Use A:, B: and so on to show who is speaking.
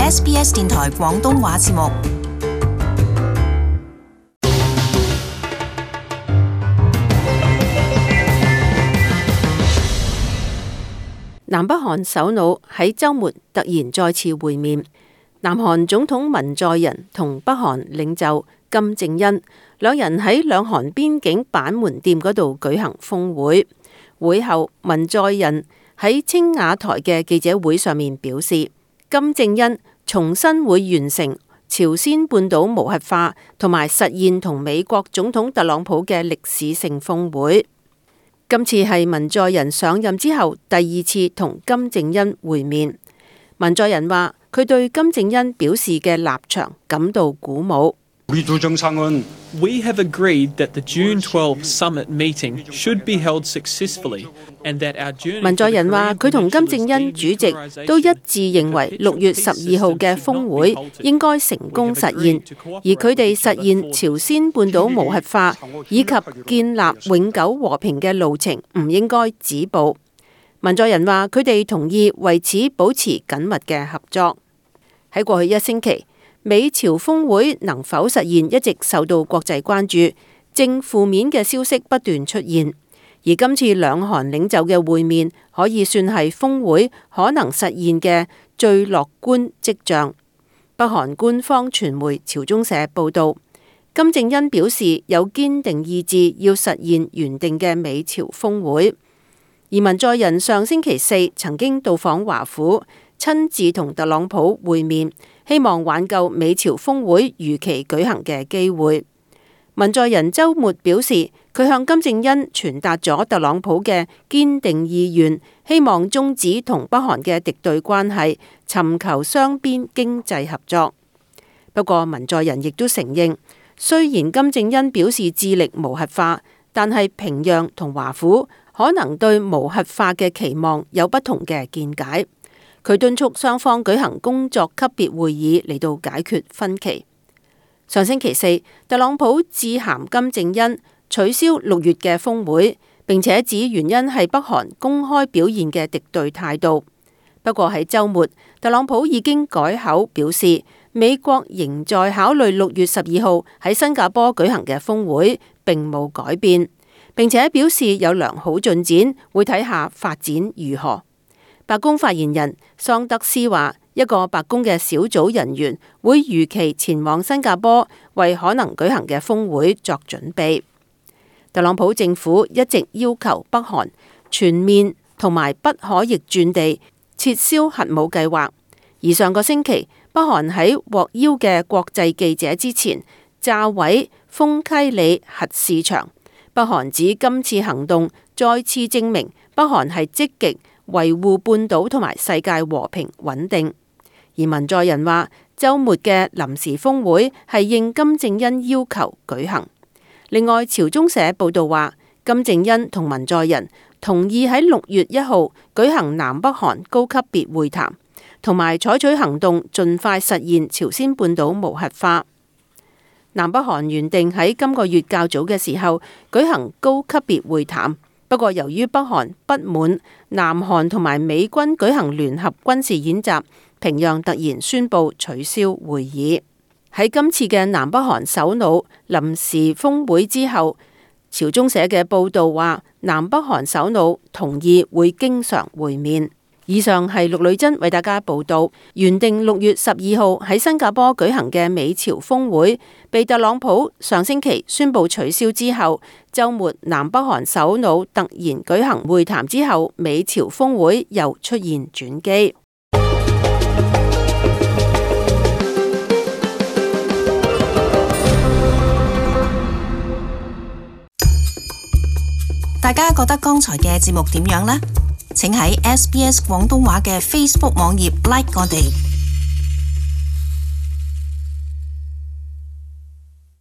A: SBS 電台廣東話節目。
B: 南北韓首腦喺週末突然再次會面，南韓總統文在寅同北韓領袖金正恩兩人喺兩韓邊境板門店嗰度舉行峰會。會後，文在寅喺青瓦台嘅記者會上面表示，金正恩重新會完成朝鮮半島無核化同埋實現同美國總統特朗普嘅歷史性峰會。今次係文在寅上任之後第二次同金正恩會面。文在寅話佢對金正恩表示嘅立場感到鼓舞。
C: We have agreed that the June 12 summit meeting should be held successfully, and that our journey.
B: 文在寅話佢同金正恩主席都一致認為6月12號嘅峰會應該成功實現，而佢哋實現朝鮮半島無核化以及建立永久和平嘅路程唔應該止步。文在寅話佢哋同意為此保持緊密嘅合作。喺過去一星期，美朝峰會能否實現一直受到國際關注，正負面嘅消息不斷出現，而今次兩韓領袖嘅會面可以算係峰會可能實現嘅最樂觀跡象。北韓官方傳媒朝中社報道，金正恩表示有堅定意志要實現原定嘅美朝峰會，而文在寅上星期四曾經到訪華府，親自同特朗普會面，希望挽救美朝峰會如期舉行嘅機會。文在寅週末表示，佢向金正恩傳達咗特朗普嘅堅定意願，希望終止同北韓嘅敵對關係，尋求雙邊經濟合作。不過文在寅亦都承認，雖然金正恩表示致力無核化，但係平壤同華府可能對無核化嘅期望有不同嘅見解。佢敦促雙方舉行工作級別會議嚟到解決分歧。上星期四，特朗普致函金正恩取消6月嘅峰會，並且指原因係北韓公開表現嘅敵對態度。不過喺週末，特朗普已經改口表示，美國仍在考慮6月12號喺新加坡舉行嘅峰會，並冇改變，並且表示有良好進展，會睇下發展如何。白宮發言人桑德斯話，一個白宮嘅小組人員會如期前往新加坡，為可能舉行嘅峰會作準備。特朗普政府一直要求北韓全面同埋不可逆轉地撤銷核武計劃，而上個星期北韓喺獲邀嘅國際記者之前炸毀豐溪里核試場。北韓指今次行動再次證明北韓係積極維護半島同埋世界和平穩定。而文在寅話，週末嘅臨時峰會係應金正恩要求舉行。另外，朝中社報道話，金正恩同文在寅同意喺6月1號舉行南北韓高級別會談，同埋採取行動盡快實現朝鮮半島無核化。南北韓原定喺今個月較早嘅時候舉行高級別會談，不過由於北韓不滿南韓同埋美軍舉行聯合軍事演習，平壤突然宣布取消會議。喺今次嘅南北韓首腦臨時峰會之後，朝中社嘅報道話，南北韓首腦同意會經常會面。以上係陸女真為大家報道。原定6月12號喺新加坡舉行嘅美朝峰會，被特朗普上星期宣布取消之後，週末南北韓首腦突然舉行會談之後，美朝峰會又出現轉機。
A: 大家覺得剛才嘅節目點樣呢？請喺SBS 廣東話嘅 Facebook 網頁 like 我哋。